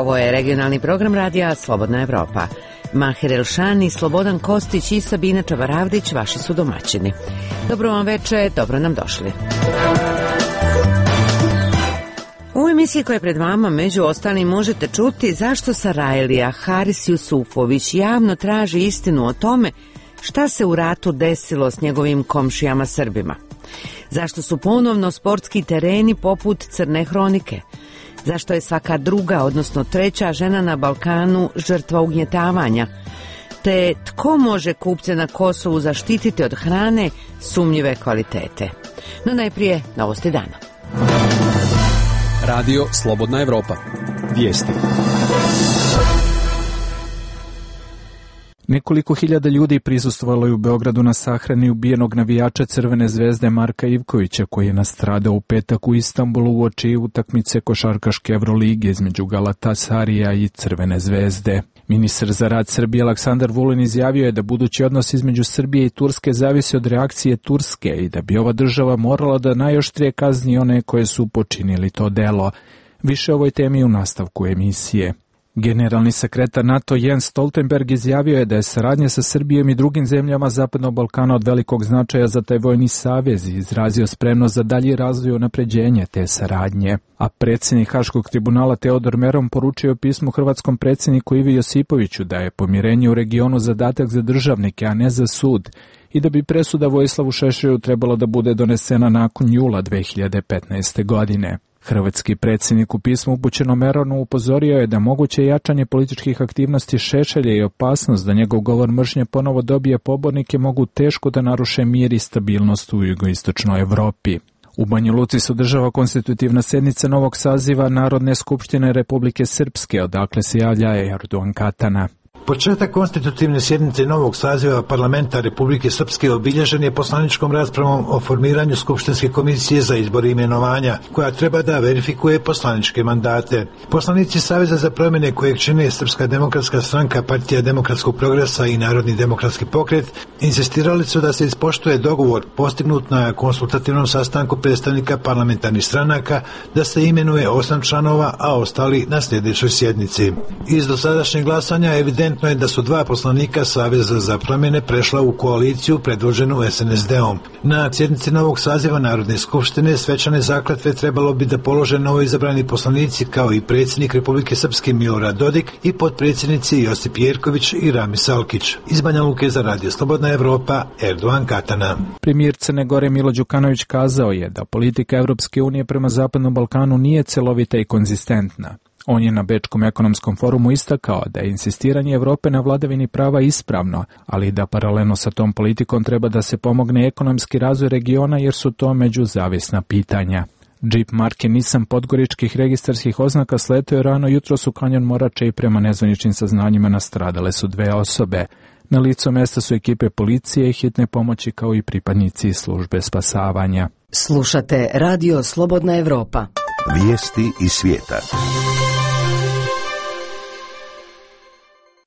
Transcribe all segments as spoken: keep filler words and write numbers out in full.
Ovo je regionalni program radija Slobodna Evropa. Maher Elšan i Slobodan Kostić i Sabina Čabaravdić vaši su domaćini. Dobro vam veče, dobro nam došli. U emisiji koja je pred vama među ostalim možete čuti zašto Sarajlija Haris Jusufović javno traži istinu o tome šta se u ratu desilo s njegovim komšijama Srbima. Zašto su ponovno sportski tereni poput Crne hronike? Zašto je svaka druga, odnosno treća žena na Balkanu žrtva ugnjetavanja? Te tko može kupce na Kosovu zaštititi od hrane sumnjive kvalitete? No najprije novosti dana. Radio Slobodna Evropa. Vijesti. Nekoliko hiljada ljudi prisustvovalo je u Beogradu na sahrani ubijenog navijača Crvene zvezde Marka Ivkovića, koji je nastradao u petak u Istanbulu uoči utakmice košarkaške Evrolige između Galatasarija i Crvene zvezde. Ministar za rad Srbije Aleksandar Vulin izjavio je da budući odnos između Srbije i Turske zavisi od reakcije Turske i da bi ova država morala da najoštrije kazni one koje su počinili to delo. Više o ovoj temi u nastavku emisije. Generalni sekretar NATO Jens Stoltenberg izjavio je da je saradnja sa Srbijom i drugim zemljama Zapadnog Balkana od velikog značaja za taj vojni savez i izrazio spremnost za dalji razvoj i unapređenje te saradnje. A predsjednik Haškog tribunala Teodor Meron poručio pismu hrvatskom predsjedniku Ivi Josipoviću da je pomirenje u regionu zadatak za državnike, a ne za sud, i da bi presuda Vojislavu Šešelju trebala da bude donesena nakon jula dve hiljade petnaeste. godine. Hrvatski predsjednik u pismu upućeno Meronu upozorio je da moguće jačanje političkih aktivnosti Šešelja i opasnost da njegov govor mržnje ponovo dobije pobornike mogu teško da naruše mir i stabilnost u jugoistočnoj Evropi. U Banja Luci se održava konstitutivna sjednica novog saziva Narodne skupštine Republike Srpske, odakle se javlja Erdogan Katana. Početak konstitutivne sjednice novog saziva parlamenta Republike Srpske obilježen je poslaničkom raspravom o formiranju Skupštinske komisije za izbor i imenovanja, koja treba da verifikuje poslaničke mandate. Poslanici Saveza za promjene kojeg čine Srpska demokratska stranka, Partija demokratskog progresa i Narodni demokratski pokret insistirali su da se ispoštuje dogovor postignut na konsultativnom sastanku predstavnika parlamentarnih stranaka da se imenuje osam članova, a ostali na sljedećoj sjednici. Iz dosadašnjeg glasanja evidentno je da su dva poslanika Saveza za promjene prešla u koaliciju predvođenu es en es de-om. Na sjednici novog saziva Narodne skupštine svečane zakletve trebalo bi da polože novoizabrani poslanici kao i predsjednik Republike Srpske Milorad Dodik i potpredsjednici Josip Jerković i Ramis Alkić. Iz Banja Luke za Radio Slobodna Evropa, Erdogan Katana. Premijer Crne Gore Milo Đukanović kazao je da politika Evropske unije prema Zapadnom Balkanu nije celovita i konzistentna. On je na Bečkom ekonomskom forumu istakao da je insistiranje Evrope na vladavini prava ispravno, ali da paralelno sa tom politikom treba da se pomogne ekonomski razvoj regiona jer su to međuzavisna pitanja. Džip marke Nissan podgoričkih registarskih oznaka sletio je rano jutros u kanjon Morače i prema nezvaničnim saznanjima nastradale su dve osobe. Na licu mesta su ekipe policije i hitne pomoći kao i pripadnici službe spasavanja. Slušate Radio Slobodna Evropa. Vijesti iz svijeta.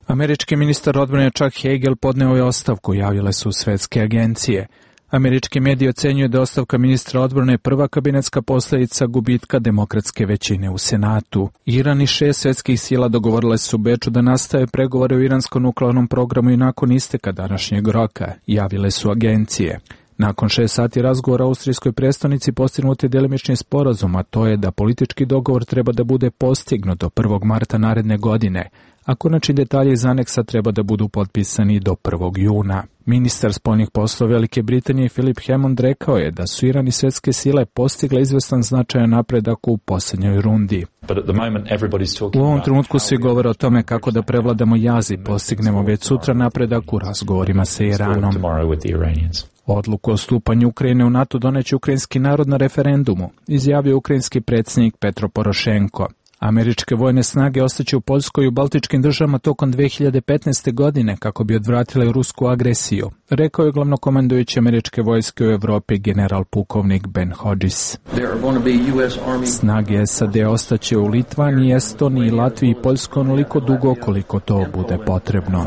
Američki ministar odbrane Chuck Hagel podneo je ostavku, javile su svetske agencije. Američki mediji ocenjuju da ostavka ministra odbrane prva kabinetska posljedica gubitka demokratske većine u Senatu. Iran i šest svjetskih sila dogovorile su u Beču da nastave pregovore o iranskom nuklearnom programu i nakon isteka današnjeg roka, javile su agencije. Nakon šest sati razgovora u austrijskoj prestonici postignut je delimični sporazum, a to je da politički dogovor treba da bude postignut do prvog marta naredne godine, a konačni detalji iz aneksa treba da budu potpisani do prvog juna. Ministar spoljnih poslova Velike Britanije Philip Hammond rekao je da su Iran i svjetske sile postigle izvestan značajan napredak u posljednjoj rundi. U ovom trenutku svi govore o tome kako da prevladamo jaz i postignemo već sutra napredak u razgovorima sa Iranom. Odluku o stupanju Ukrajine u NATO doneće ukrajinski narod na referendumu, izjavio ukrajinski predsjednik Petro Porošenko. Američke vojne snage ostaće u Poljskoj i u Baltičkim državama tokom dve hiljade petnaeste. godine kako bi odvratile rusku agresiju, rekao je glavnokomandujući američke vojske u Evropi general pukovnik Ben Hodges. Snage es a de ostaće u Litvaniji, Estoniji, Latviji i Poljskoj onoliko dugo koliko to bude potrebno.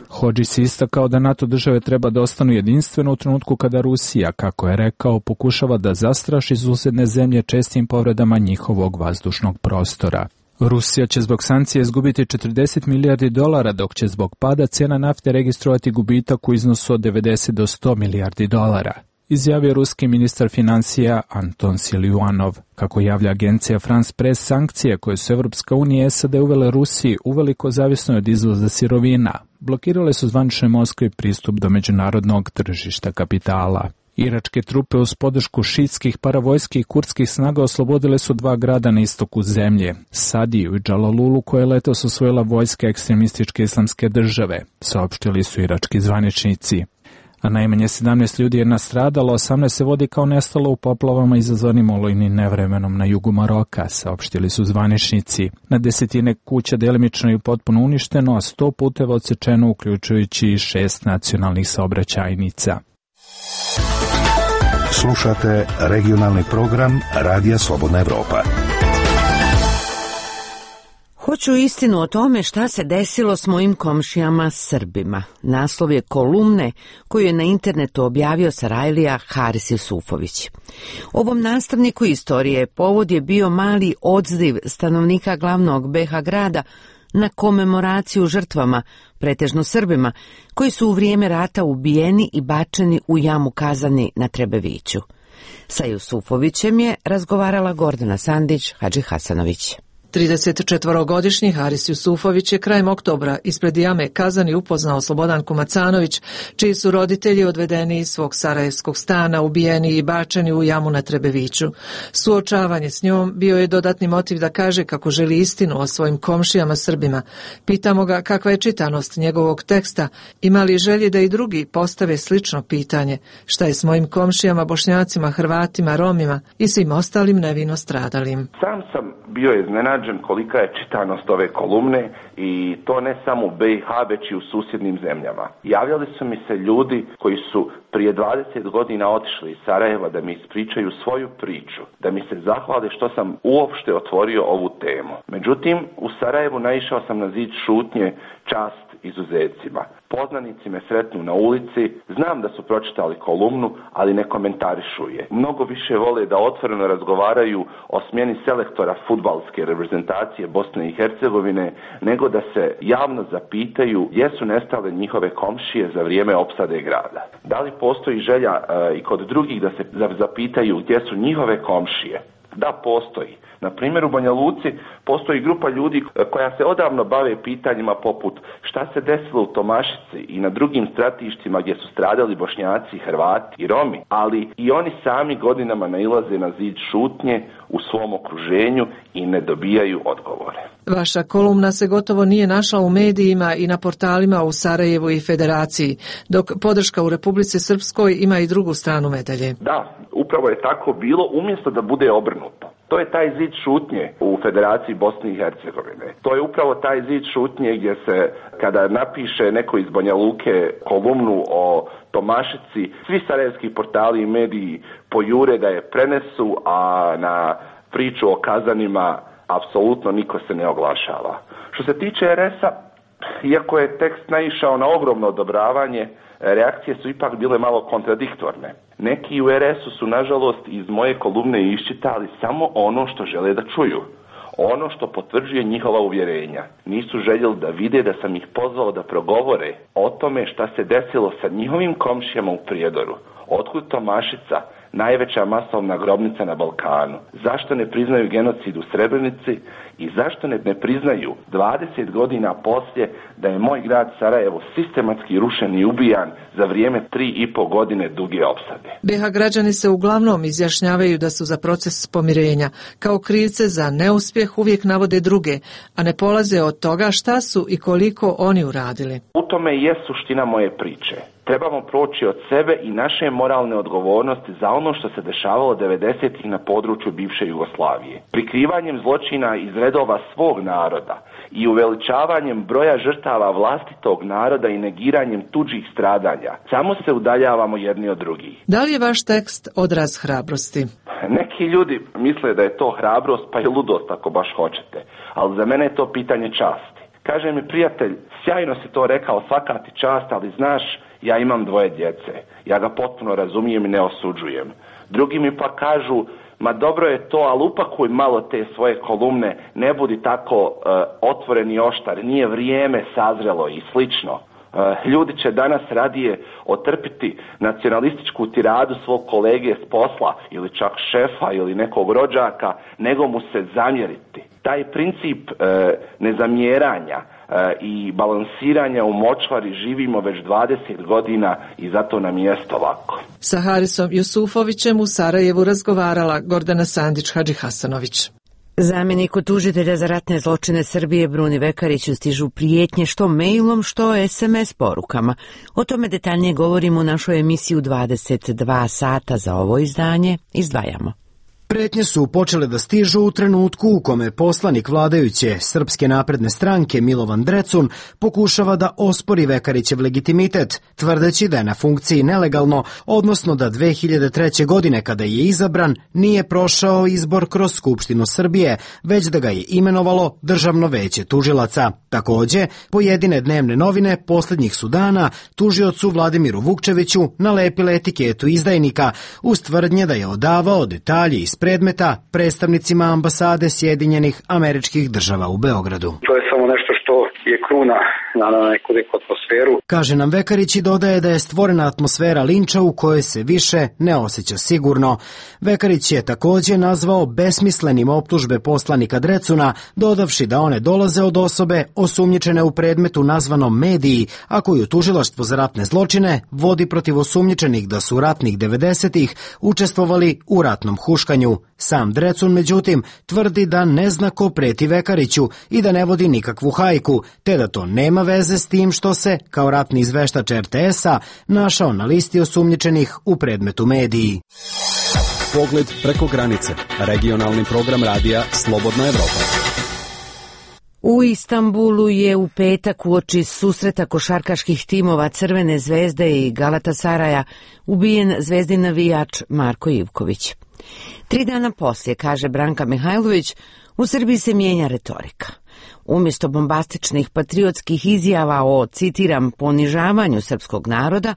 Hodges istakao da NATO države treba da ostanu jedinstveno u trenutku kada Rusija, kako je rekao, pokušava da zastraši susjedne zemlje čestim povredama njihovog vazdušnog prostora. Rusija će zbog sankcije izgubiti četrdeset milijardi dolara, dok će zbog pada cijena nafte registrovati gubitak u iznosu od devedeset do sto milijardi dolara, izjavio ruski ministar financija Anton Siljuanov. Kako javlja agencija France Press, sankcije koje su Evropska unija i S A D uvele Rusiji uveliko zavisno od izvoza sirovina, blokirale su zvaničnoj Moskvi pristup do međunarodnog tržišta kapitala. Iračke trupe uz podršku šiitskih paravojskih kurdskih snaga oslobodile su dva grada na istoku zemlje, Sadiju i Džalalulu, koje letos osvojila vojska ekstremističke islamske države, saopštili su irački zvaničnici. A najmanje sedamnaest ljudi je nastradalo, osamnaest se vodi kao nestalo u poplavama izazvanim olujnim nevremenom na jugu Maroka, saopštili su zvaničnici. Na desetine kuća delimično i potpuno uništeno, a sto puteva odsečeno, uključujući i šest nacionalnih saobraćajnica. Slušate regionalni program Radija Slobodna Evropa. Hoću istinu o tome šta se desilo s mojim komšijama Srbima. Naslov je kolumne koju je na internetu objavio Sarajlija Haris Jusufović. Ovom nastavniku istorije povod je bio mali odziv stanovnika glavnog B iH grada na komemoraciju žrtvama, pretežno Srbima, koji su u vrijeme rata ubijeni i bačeni u jamu Kazani na Trebeviću. Sa Jusufovićem je razgovarala Gordana Sandić Hadžihasanović. tridesetčetvorogodišnji Haris Jusufović je krajem oktobra ispred jame Kazani upoznao Slobodanku Macanović, čiji su roditelji odvedeni iz svog sarajevskog stana, ubijeni i bačeni u jamu na Trebeviću. Suočavanje s njom bio je dodatni motiv da kaže kako želi istinu o svojim komšijama Srbima. Pitamo ga kakva je čitanost njegovog teksta, ima li želje da i drugi postave slično pitanje, šta je s mojim komšijama Bošnjacima, Hrvatima, Romima i svim ostalim nevino stradalim. Sam sam bio iznenađen kolika je čitanost ove kolumne i to ne samo u B iH već i u susjednim zemljama. Javljali su mi se ljudi koji su prije dvadeset godina otišli iz Sarajeva da mi ispričaju svoju priču, da mi se zahvale što sam uopšte otvorio ovu temu. Međutim, u Sarajevu naišao sam na zid šutnje, čast izuzecima. Poznanici me sretnu na ulici, znam da su pročitali kolumnu, ali ne komentarišu je. Mnogo više vole da otvoreno razgovaraju o smjeni selektora fudbalske reprezentacije Bosne i Hercegovine, nego da se javno zapitaju gdje su nestale njihove komšije za vrijeme opsade grada. Da li postoji želja e, i kod drugih da se zapitaju gdje su njihove komšije? Da, postoji. Na primjer, u Banja Luci postoji grupa ljudi koja se odavno bave pitanjima poput šta se desilo u Tomašici i na drugim stratištima gdje su stradali Bošnjaci, Hrvati i Romi, ali i oni sami godinama nailaze na zid šutnje u svom okruženju i ne dobijaju odgovore. Vaša kolumna se gotovo nije našla u medijima i na portalima u Sarajevu i Federaciji, dok podrška u Republici Srpskoj ima i drugu stranu medalje. Da, upravo je tako bilo, umjesto da bude obrnuto. To je taj zid šutnje u Federaciji Bosne i Hercegovine. To je upravo taj zid šutnje gdje se, kada napiše neko iz Banja Luke kolumnu o Tomašici, svi sarajevski portali i mediji pojure da je prenesu, a na priču o Kazanima apsolutno niko se ne oglašava. Što se tiče R S-a, iako je tekst naišao na ogromno odobravanje, reakcije su ipak bile malo kontradiktorne. Neki u R S-u su, nažalost, iz moje kolumne iščitali samo ono što žele da čuju. Ono što potvrđuje njihova uvjerenja. Nisu željeli da vide da sam ih pozvao da progovore o tome šta se desilo sa njihovim komšijama u Prijedoru. Otkud Tomašica, najveća masovna grobnica na Balkanu? Zašto ne priznaju genocid u Srebrenici i zašto ne, ne priznaju dvadeset godina poslije da je moj grad Sarajevo sistematski rušen i ubijan za vrijeme tri i po godine duge opsade? B iH građani se uglavnom izjašnjavaju da su za proces pomirenja. Kao krivce za neuspjeh uvijek navode druge, a ne polaze od toga šta su i koliko oni uradili. U tome je suština moje priče. Trebamo proći od sebe i naše moralne odgovornosti za ono što se dešavalo devedesetih na području bivše Jugoslavije. Prikrivanjem zločina iz redova svog naroda i uveličavanjem broja žrtava vlastitog naroda i negiranjem tuđih stradanja samo se udaljavamo jedni od drugih. Da li je vaš tekst odraz hrabrosti? Neki ljudi misle da je to hrabrost pa i ludost ako baš hoćete, ali za mene je to pitanje časti. Kaže mi prijatelj, sjajno si to rekao, svaka ti čast, ali znaš, ja imam dvoje djece. Ja ga potpuno razumijem i ne osuđujem. Drugi mi pa kažu, ma dobro je to, ali upakuj malo te svoje kolumne, ne budi tako uh, otvoren i oštar, nije vrijeme sazrelo i slično. Uh, ljudi će danas radije otrpiti nacionalističku tiradu svog kolege s posla ili čak šefa ili nekog rođaka, nego mu se zamjeriti. Taj princip uh, nezamjeranja uh, i balansiranja u močvari živimo već dvadeset godina i zato nam jeste ovako. Sa Harisom Jusufovićem u Sarajevu razgovarala Gordana Sandić-Hadžihasanović. Zamjeniku tužitelja za ratne zločine Srbije Bruni Vekariću stižu prijetnje što mailom, što es em es porukama. O tome detaljnije govorimo u našoj emisiji u dvadeset dva sata. Za ovo izdanje izdvajamo. Pretnje su počele da stižu u trenutku u kome poslanik vladajuće Srpske napredne stranke Milovan Drecun pokušava da ospori Vekarićev legitimitet, tvrdeći da je na funkciji nelegalno, odnosno da dve hiljade treće. godine kada je izabran nije prošao izbor kroz Skupštinu Srbije, već da ga je imenovalo Državno veće tužilaca. Takođe, pojedine dnevne novine posljednjih su dana tužiocu Vladimiru Vukčeviću nalepile etiketu izdajnika uz tvrdnje da je odavao detalje iz predmeta predstavnicima ambasade Sjedinjenih Američkih Država u Beogradu. To je samo nešto što je kruna na neku neku atmosferu. Kaže nam Vekarić i dodaje da je stvorena atmosfera linča u kojoj se više ne osjeća sigurno. Vekarić je takođe nazvao besmislenim optužbe poslanika Drecuna, dodavši da one dolaze od osobe osumnjičene u predmetu nazvanom Mediji, a koju tužilaštvo za ratne zločine vodi protiv osumnjičenih da su ratnih devedesetih učestvovali u ratnom huškanju. Sam Drecun, međutim, tvrdi da ne zna ko preti Vekariću i da ne vodi nikakvu hajku, te da to nema veze s tim što se, kao ratni izveštač er te es-a, našao na listi osumnjičenih u predmetu Mediji. Pogled preko granice. Regionalni program radija Slobodna Evropa. U Istanbulu je u petak uoči susreta košarkaških timova Crvene zvezde i Galatasaraja ubijen zvezdin navijač Marko Ivković. Tri dana poslije, kaže Branka Mihajlović, u Srbiji se mijenja retorika. Umjesto bombastičnih patriotskih izjava o, citiram, ponižavanju srpskog naroda,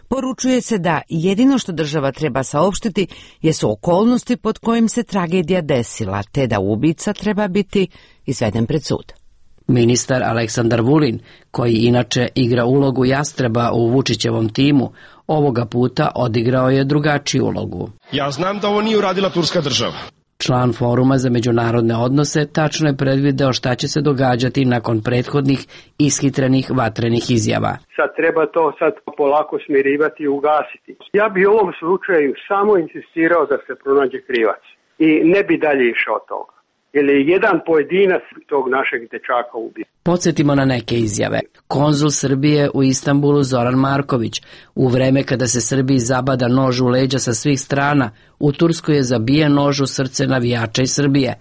poručuje se da jedino što država treba saopštiti jesu okolnosti pod kojim se tragedija desila, te da ubica treba biti izveden pred sud. Ministar Aleksandar Vulin, koji inače igra ulogu jastreba u Vučićevom timu, ovoga puta odigrao je drugačiju ulogu. Ja znam da ovo nije uradila turska država. Član Foruma za međunarodne odnose tačno je predvideo šta će se događati nakon prethodnih ishitrenih vatrenih izjava. Sad treba to sad polako smirivati i ugasiti. Ja bi u ovom slučaju samo insistirao da se pronađe krivac i ne bi dalje išao od toga. Jer je jedan pojedinac tog našeg dečaka ubio. Podsjetimo na neke izjave. Konzul Srbije u Istanbulu Zoran Marković, u vreme kada se Srbiji zabada nož u leđa sa svih strana, u Turskoj je zabijen nož u srce navijača iz Srbije.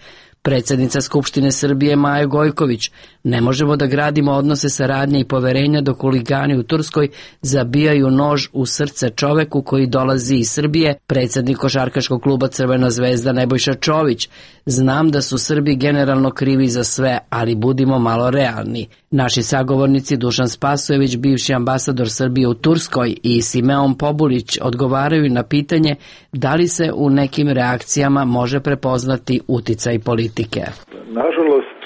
Predsjednica Skupštine Srbije Maja Gojković, ne možemo da gradimo odnose saradnje i poverenja dok huligani u Turskoj zabijaju nož u srce čoveku koji dolazi iz Srbije. Predsjednik košarkaškog kluba Crvena zvezda Nebojša Čović, znam da su Srbi generalno krivi za sve, ali budimo malo realni. Naši sagovornici Dušan Spasojević, bivši ambasador Srbije u Turskoj, i Simeon Pobulić odgovaraju na pitanje da li se u nekim reakcijama može prepoznati uticaj politike. Nažalost,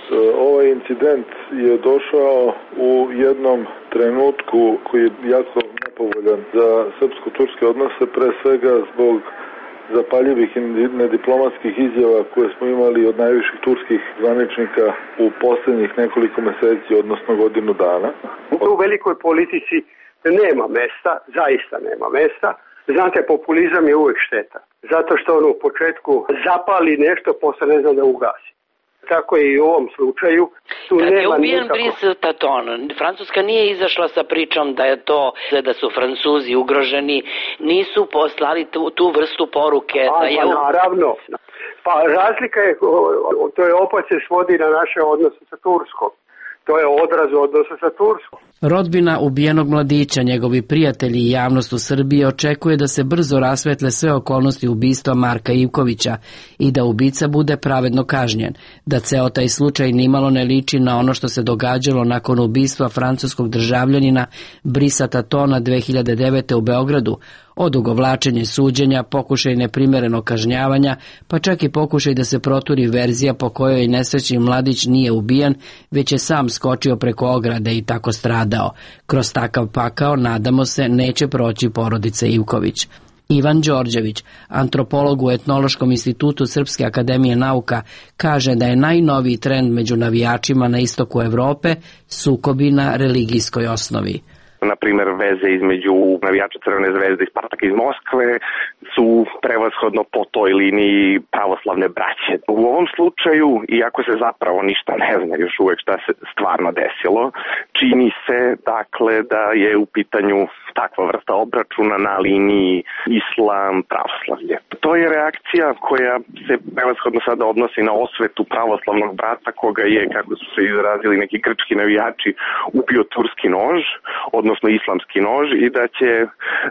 ovaj incident je došao u jednom trenutku koji je jako nepovoljan za srpsko-turske odnose, pre svega zbog zapaljivih i nediplomatskih izjava koje smo imali od najviših turskih zvaničnika u posljednjih nekoliko meseci, odnosno godinu dana. U velikoj politici nema mesta, zaista nema mesta. Znate, populizam je uvijek šteta. Zato što on u početku zapali nešto, posle ne zna da ugasi. Tako je i u ovom slučaju. Tu Kad nema je ubijen nikako... Brice Taton, Francuska nije izašla sa pričom da je to, da su Francuzi ugroženi, nisu poslali tu, tu vrstu poruke. A, da je... pa naravno. Pa razlika je, to je opet se svodi na naše odnose sa Turskom. To je odraz odnosa sa Turskom. Rodbina ubijenog mladića, njegovi prijatelji i javnost u Srbiji očekuje da se brzo rasvetle sve okolnosti ubistva Marka Ivkovića i da ubica bude pravedno kažnjen, da ceo taj slučaj nimalo ne liči na ono što se događalo nakon ubistva francuskog državljanina Brisa Tatona dve hiljade devete. u Beogradu. odugovlačenje suđenja, pokušaj neprimerenog kažnjavanja, pa čak i pokušaj da se proturi verzija po kojoj nesrećni mladić nije ubijen, već je sam skočio preko ograde i tako stradao. Kroz takav pakao, nadamo se, neće proći porodica Ivković. Ivan Đorđević, antropolog u Etnološkom institutu Srpske akademije nauka, kaže da je najnoviji trend među navijačima na istoku Evrope sukobi na religijskoj osnovi. Na primjer, veze između navijača Crvene zvezde i Spartaka iz Moskve su prevashodno po toj liniji pravoslavne braće. U ovom slučaju, iako se zapravo ništa ne zna još uvek šta se stvarno desilo, čini se dakle da je u pitanju takva vrsta obračuna na liniji islam pravoslavlje. To je reakcija koja se prevashodno sada odnosi na osvetu pravoslavnog brata koga je, kako su se izrazili neki grčki navijači, ubio turski nož, odnosno islamski nož, i da će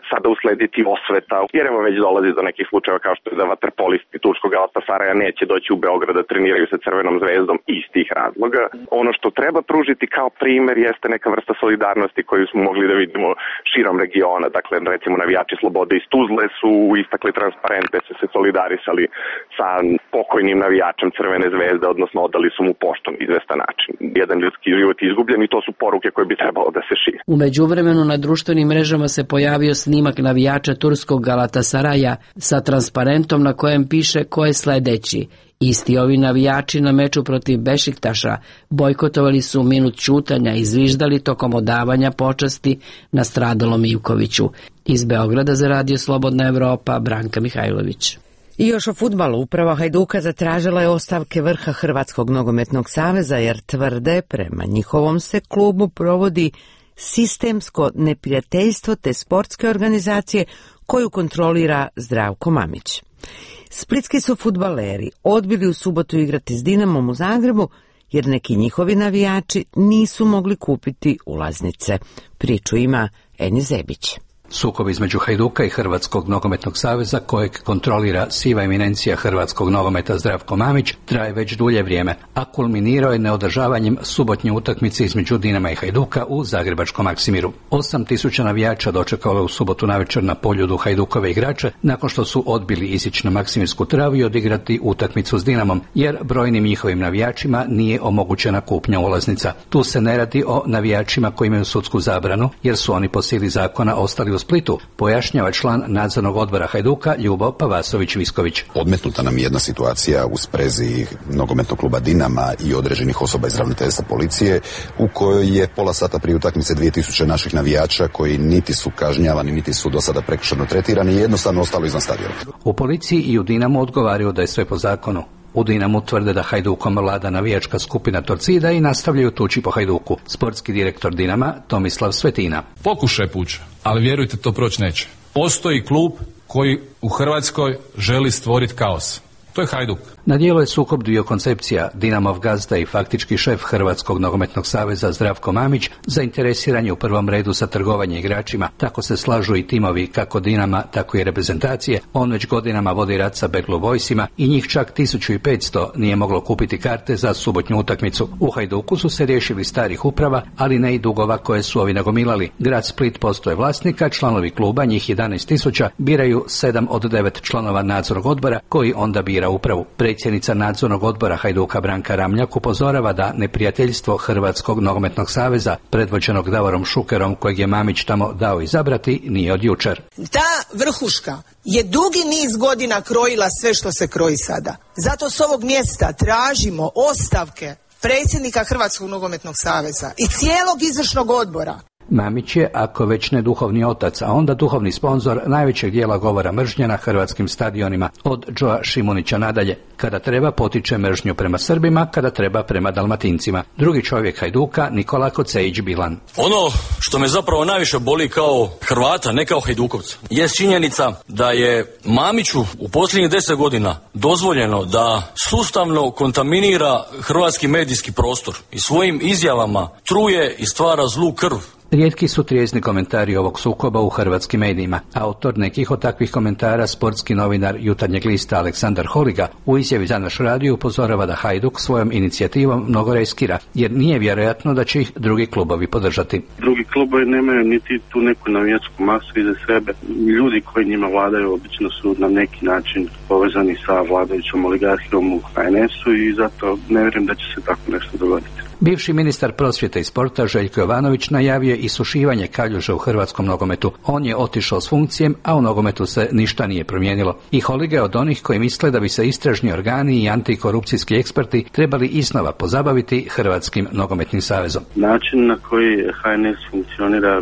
sada uslediti osveta. Jer evo već dolazi do nekih slučajeva kao što je da vaterpolisti turskog Galatasaraja neće doći u Beograd da treniraju sa Crvenom zvezdom iz tih razloga. Ono što treba pružiti kao primer jeste neka vrsta solidarnosti koju smo mogli da vidimo širom regiona. Dakle, recimo navijači Slobode iz Tuzle su istakli transparente, su se solidarisali sa pokojnim navijačem Crvene zvezde, odnosno odali su mu poštom izvestan način. Jedan ljudski život je izgubljen i to su poruke koje bi trebalo da se šire. U međuvremenu na društvenim mrežama se pojavio snimak navijača turskog Galatasaraja sa transparentom na kojem piše ko je sledeći. Isti ovi navijači na meču protiv Bešiktaša bojkotovali su minut ćutanja i zviždali tokom odavanja počasti nastradalom Ivkoviću. Iz Beograda za Radio Slobodna Evropa, Branka Mihajlović. I još o fudbalu. Uprava Hajduka zatražila je ostavke vrha Hrvatskog nogometnog saveza jer tvrde prema njihovom se klubu provodi sistemsko neprijateljstvo te sportske organizacije koju kontrolira Zdravko Mamić. Splitski su fudbaleri odbili u subotu igrati s Dinamom u Zagrebu jer neki njihovi navijači nisu mogli kupiti ulaznice. Priču ima Eni Zebić. Sukob između Hajduka i Hrvatskog nogometnog saveza, kojeg kontrolira siva eminencija hrvatskog nogometa Zdravko Mamić, traje već dulje vrijeme, a kulminirao je neodržavanjem subotnje utakmice između Dinama i Hajduka u zagrebačkom Maksimiru. Osam tisuća navijača dočekalo u subotu navečer na Poljudu Hajdukove igrače nakon što su odbili izići na Maksimirsku travu i odigrati utakmicu s Dinamom, jer brojnim njihovim navijačima nije omogućena kupnja ulaznica. Tu se ne radi o navijačima koji imaju sudsku zabranu, jer su oni po sili zakona ostali u Splitu, pojašnjava član nadzornog odbora Hajduka Ljubo Pavasović-Visković. Odmetnuta nam je jedna situacija u sprezi nogometnog kluba Dinama i određenih osoba iz ravnateljstva policije, u kojoj je pola sata prije utakmice dvije tisuće naših navijača koji niti su kažnjavani, niti su do sada prekršajno tretirani, jednostavno ostalo izvan stadiona. U policiji i u Dinamu odgovaraju da je sve po zakonu. U Dinamu tvrde da Hajdukom vlada navijačka skupina Torcida i nastavljaju tući po Hajduku. Sportski direktor Dinama Tomislav Svetina. Pokušaj puća, ali vjerujte, to proći neće. Postoji klub koji u Hrvatskoj želi stvoriti kaos. To je Hajduk. Na dijelu je sukob dviju koncepcija. Dinamov gazda i faktički šef Hrvatskog nogometnog saveza Zdravko Mamić zainteresiran je u prvom redu za trgovanje igračima. Tako se slažu i timovi kako Dinama, tako i reprezentacije. On već godinama vodi rat sa Beglu Vojsima i njih čak tisuću petsto nije moglo kupiti karte za subotnju utakmicu. U Hajduku su se riješili starih uprava, ali ne i dugova koje su ovi nagomilali. Grad Split postoje vlasnika, članovi kluba, njih jedanaest tisuća, biraju sedam od devet članova nadzornog odbora koji onda bira upravu. Predsjednica nadzornog odbora Hajduka Branka Ramljak upozorava da neprijateljstvo Hrvatskog nogometnog saveza, predvođenog Davorom Šukerom, kojeg je Mamić tamo dao izabrati, nije od jučer. Ta vrhuška je dugi niz godina krojila sve što se kroji sada. Zato s ovog mjesta tražimo ostavke predsjednika Hrvatskog nogometnog saveza i cijelog izvršnog odbora. Mamić je, ako već ne duhovni otac, a onda duhovni sponzor najvećeg dijela govora mržnje na hrvatskim stadionima, od Džoa Šimunića nadalje. Kada treba, potiče mržnju prema Srbima, kada treba prema Dalmatincima. Drugi čovjek Hajduka, Nikola Kocejić Bilan. Ono što me zapravo najviše boli kao Hrvata, ne kao Hajdukovca, je činjenica da je Mamiću u posljednjih deset godina dozvoljeno da sustavno kontaminira hrvatski medijski prostor i svojim izjavama truje i stvara zlu krv Rijetki su trijezni komentari ovog sukoba u hrvatskim medijima. Autor nekih od takvih komentara, sportski novinar Jutarnjeg lista Aleksandar Holiga, u izjavi za naš radio upozorava da Hajduk svojom inicijativom mnogo riskira, jer nije vjerojatno da će ih drugi klubovi podržati. Drugi klubovi nemaju niti tu neku navijačku masu iza sebe. Ljudi koji njima vladaju obično su na neki način povezani sa vladajućom oligarhijom u H N S-u i zato ne vjerujem da će se tako nešto dogoditi. Bivši ministar prosvjete i sporta Željko Jovanović najavio isušivanje kaljuža u hrvatskom nogometu. On je otišao s funkcijem, a u nogometu se ništa nije promijenilo. I Holiga je od onih koji misle da bi se istražni organi i antikorupcijski eksperti trebali iznova pozabaviti Hrvatskim nogometnim savezom. Način na koji H N S funkcionira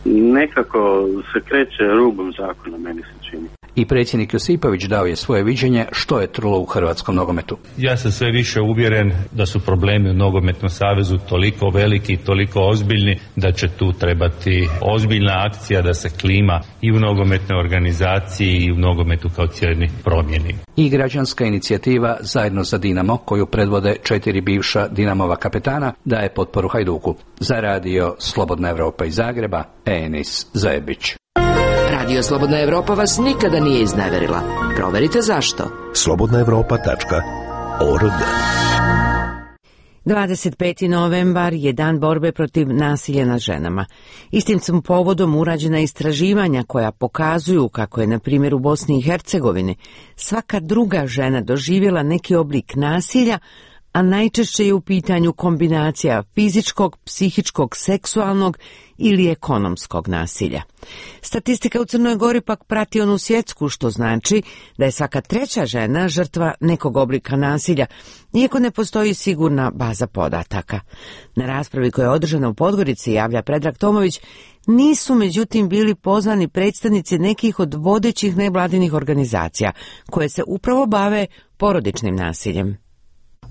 nekako se kreće rubom zakona, meni se čini. I predsjednik Josipović dao je svoje viđenje što je trulo u hrvatskom nogometu. Ja sam sve više uvjeren da su problemi u nogometnom savezu toliko veliki i toliko ozbiljni da će tu trebati ozbiljna akcija da se klima i u nogometnoj organizaciji i u nogometu kao cijeli promijeni. I građanska inicijativa Zajedno za Dinamo, koju predvode četiri bivša Dinamova kapetana, daje potporu Hajduku. Za radio Slobodna Evropa iz Zagreba, Enis Zajebić. Radio Slobodna Evropa vas nikada nije izneverila. Proverite zašto. slobodna evropa tačka org. dvadeset peti novembar je dan borbe protiv nasilja nad ženama. Istim sam povodom urađena istraživanja koja pokazuju kako je, na primjer, u Bosni i Hercegovini svaka druga žena doživjela neki oblik nasilja, a najčešće je u pitanju kombinacija fizičkog, psihičkog, seksualnog ili ekonomskog nasilja. Statistika u Crnoj Gori pak prati onu svjetsku, što znači da je svaka treća žena žrtva nekog oblika nasilja, iako ne postoji sigurna baza podataka. Na raspravi koja je održana u Podgorici, javlja Predrag Tomović, nisu međutim bili pozvani predstavnici nekih od vodećih nevladinih organizacija koje se upravo bave porodičnim nasiljem.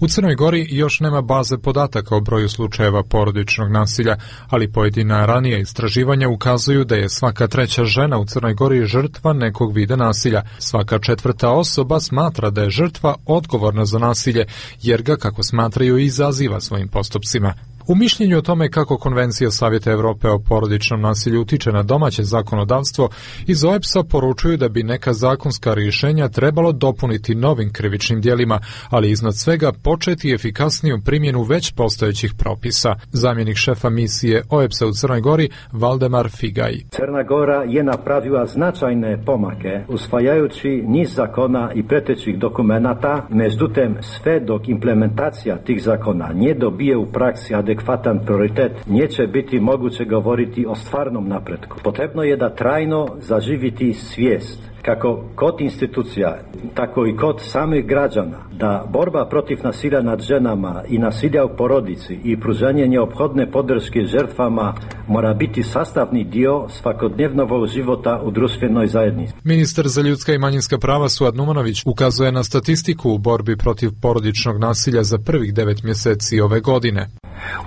U Crnoj Gori još nema baze podataka o broju slučajeva porodičnog nasilja, ali pojedina ranija istraživanja ukazuju da je svaka treća žena u Crnoj Gori žrtva nekog vida nasilja. Svaka četvrta osoba smatra da je žrtva odgovorna za nasilje, jer ga, kako smatraju, izaziva svojim postupcima. U mišljenju o tome kako Konvencija Savjeta Evrope o porodičnom nasilju utiče na domaće zakonodavstvo, iz O E P S-a poručuju da bi neka zakonska rješenja trebalo dopuniti novim krivičnim djelima, ali iznad svega početi efikasniju primjenu već postojećih propisa. Zamjenik šefa misije O E P S-a u Crnoj Gori, Valdemar Figaj. Crna Gora je napravila značajne pomake, usvajajući niz zakona i pretećih dokumenata, međutim sve dok implementacija tih zakona nie dobije u praksi adekvatno adekvatan prioritet, neće biti moguće govoriti o stvarnom napretku. Potrebno je da trajno zaživiti svijest, kako kod institucija, tako i kod samih građana, da borba protiv nasilja nad ženama i nasilja u porodici i pružanje neophodne podrške žrtvama mora biti sastavni dio svakodnevnog života u društvenoj zajednici. Ministar za ljudska i manjinska prava Suad Numanović ukazuje na statistiku u borbi protiv porodičnog nasilja za prvih devet mjeseci ove godine.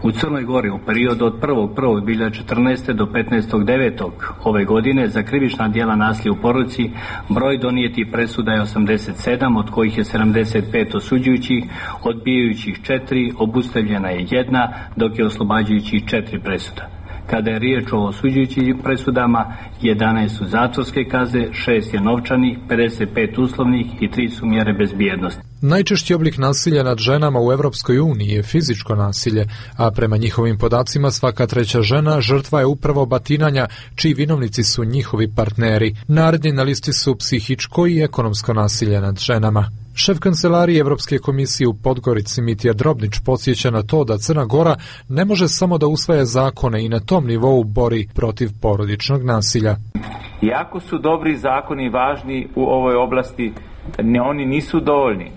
U Crnoj Gori u periodu od prvog prvog dvije hiljade četrnaeste do petnaestog devetog ove godine za krivična djela nasilja u porodici broj donijetih presuda je osamdeset sedam, od kojih je sedamdeset pet osuđujućih, odbijajućih četiri, obustavljena je jedna, dok je oslobađajućih četiri presuda. Kada je riječ o osuđujućim presudama, jedanaest su zatvorske kazne, šest je novčanih, pedeset pet uslovnih i tri su mjere bezbjednosti. Najčešći oblik nasilja nad ženama u Europskoj uniji je fizičko nasilje, a prema njihovim podacima svaka treća žena žrtva je upravo batinanja, čiji vinovnici su njihovi partneri. Naredni na listi su psihičko i ekonomsko nasilje nad ženama. Šef kancelarije Evropske komisije u Podgorici Mitja Drobnić podsjeća na to da Crna Gora ne može samo da usvaja zakone i na tom nivou bori protiv porodičnog nasilja. Iako su dobri zakoni važni u ovoj oblasti, ne, oni nisu dovoljni.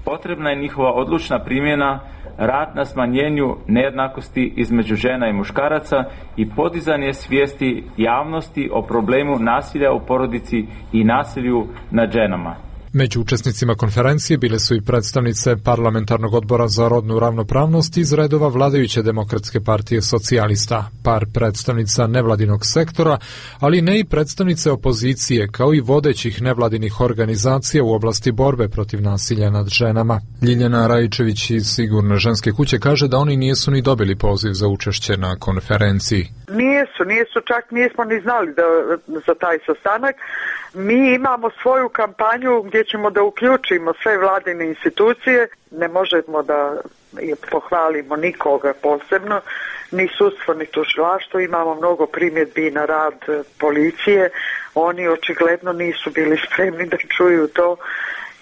Potrebna je njihova odlučna primjena, rad na smanjenju nejednakosti između žena i muškaraca i podizanje svijesti javnosti o problemu nasilja u porodici i nasilju nad ženama. Među učesnicima konferencije bile su i predstavnice Parlamentarnog odbora za rodnu ravnopravnost iz redova vladajuće Demokratske partije socijalista, par predstavnica nevladinog sektora, ali ne i predstavnice opozicije, kao i vodećih nevladinih organizacija u oblasti borbe protiv nasilja nad ženama. Ljiljana Rajičević iz Sigurne ženske kuće kaže da oni nisu ni dobili poziv za učešće na konferenciji. Nijesu, nijesu, čak nismo ni znali da, za taj sastanak. Mi imamo svoju kampanju gdje ćemo da uključimo sve vladine institucije. Ne možemo da pohvalimo nikoga posebno, ni sudstvo, ni tužilaštvo. Imamo mnogo primjedbi na rad policije. Oni očigledno nisu bili spremni da čuju to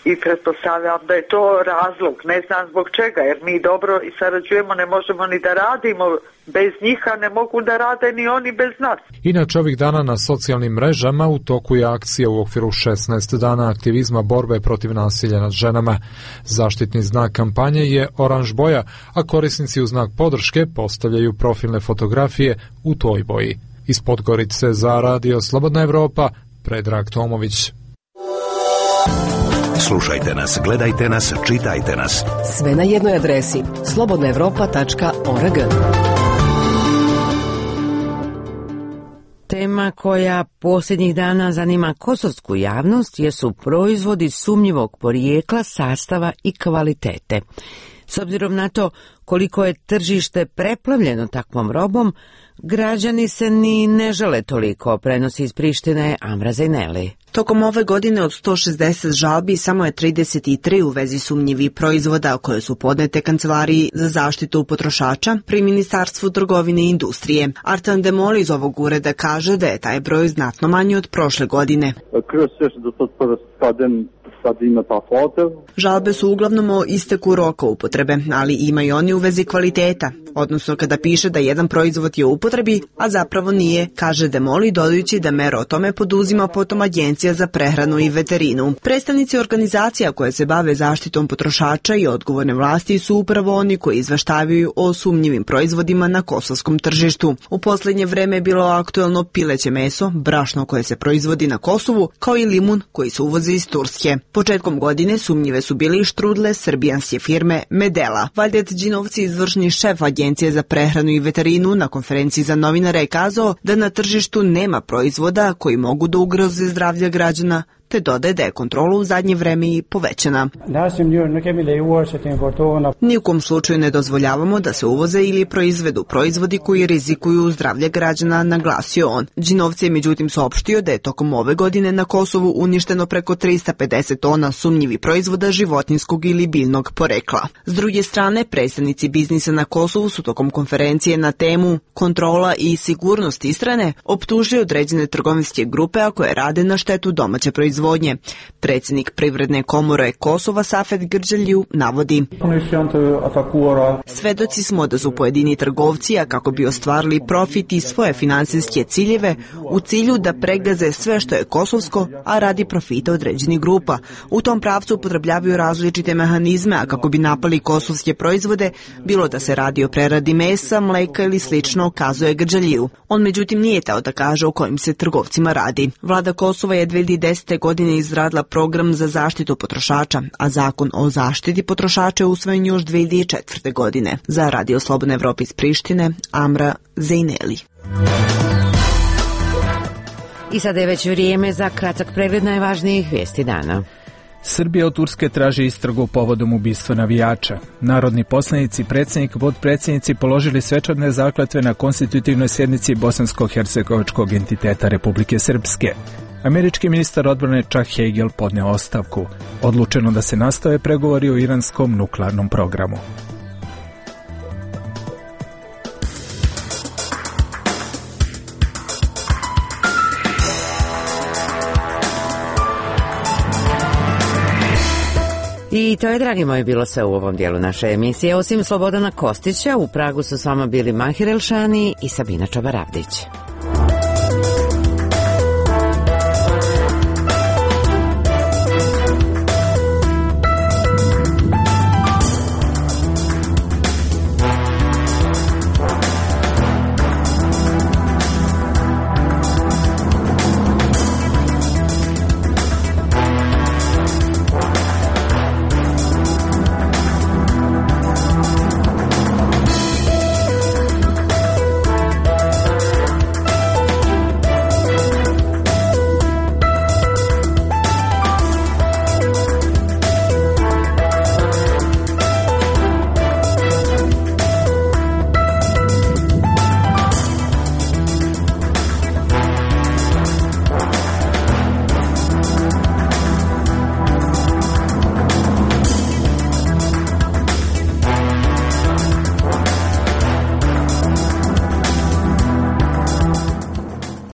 i pretpostavljam da je to razlog. Ne znam zbog čega, jer mi dobro i sarađujemo, ne možemo ni da radimo bez njih, a ne mogu da rade ni oni bez nas. Inače, ovih dana na socijalnim mrežama u toku je akcija u okviru šesnaest dana aktivizma borbe protiv nasilja nad ženama. Zaštitni znak kampanje je oranž boja, a korisnici u znak podrške postavljaju profilne fotografije u toj boji. Iz Podgorice za Radio Slobodna Evropa, Predrag Tomović. Slušajte nas, gledajte nas, čitajte nas. Sve na jednoj adresi slobodna evropa tačka org. Tema koja posljednjih dana zanima kosovsku javnost jesu proizvodi sumnjivog porijekla, sastava i kvalitete. S obzirom na to koliko je tržište preplavljeno takvom robom, građani se ni ne žele toliko, prenosi iz Prištine Amra Zejneli. Tokom ove godine od sto šezdeset žalbi samo je trideset tri u vezi sumnjivih proizvoda koje su podnete Kancelariji za zaštitu potrošača pri Ministarstvu trgovine i industrije. Artan Demol iz ovog ureda kaže da je taj broj znatno manji od prošle godine. Žalbe su uglavnom o isteku roka upotrebe, ali ima i oni u vezi kvaliteta, odnosno kada piše da jedan proizvod je u upotrebi, a zapravo nije, kaže Demoli, dodajući da mere o tome poduzima potom Agencija za prehranu i veterinu. Predstavnici organizacija koje se bave zaštitom potrošača i odgovorne vlasti su upravo oni koji izveštavaju o sumnjivim proizvodima na kosovskom tržištu. U posljednje vreme je bilo aktuelno pileće meso, brašno koje se proizvodi na Kosovu, kao i limun koji se uvozi iz Turske. Početkom godine sumnjive su bili i štrudle srbijanske firme Medela. Valdet Đinovci, izvršni šef Agencije za prehranu i veterinu, na konferenciji za novinare je kazao da na tržištu nema proizvoda koji mogu da ugroze zdravlje građana, te dodaje da je kontrola u zadnje vreme i povećana. Nijukom slučaju ne dozvoljavamo da se uvoze ili proizvedu proizvodi koji rizikuju zdravlje građana, naglasio on. Đinovci je međutim saopštio da je tokom ove godine na Kosovu uništeno preko tristo pedeset tona sumnjivih proizvoda životinjskog ili biljnog porekla. S druge strane, predstavnici biznisa na Kosovu su tokom konferencije na temu kontrola i sigurnost ishrane optužili određene trgovinske grupe a koje rade na štetu domaće proizvodnje. Predsjednik Privredne komore Kosova Safet Grđelju navodi: svedoci smo da su pojedini trgovci, a kako bi ostvarili profit i svoje finansijske ciljeve, u cilju da pregaze sve što je kosovsko, a radi profita određenih grupa. U tom pravcu upotrebljavaju različite mehanizme, a kako bi napali kosovske proizvode, bilo da se radi o preradi mesa, mleka ili slično, kazuje Grđelju. On međutim nije teo da kaže o kojim se trgovcima radi. Vlada Kosova je dve hiljade desete. godine izradila program za zaštitu potrošača, a zakon o zaštiti potrošača je usvojen još dve hiljade četvrte. godine. Za Radio Slobodna Evropa iz Prištine, Amra Zejneli. I sada je već vrijeme za kratak pregled najvažnijih vijesti dana. Srbija od Turske traži istragu povodom ubistva navijača. Narodni poslanici, predsjednik, podpredsjednici položili svečane zakletve na konstitutivnoj sjednici bosansko-hercegovačkog entiteta Republike Srpske. Američki ministar odbrane Chuck Hagel podneo ostavku. Odlučeno da se nastave pregovori o iranskom nuklearnom programu. I to je, dragi moji, bilo sve u ovom dijelu naše emisije. Osim Slobodana Kostića, u Pragu su s vama bili Mahir Elšani i Sabina Čabaravdić.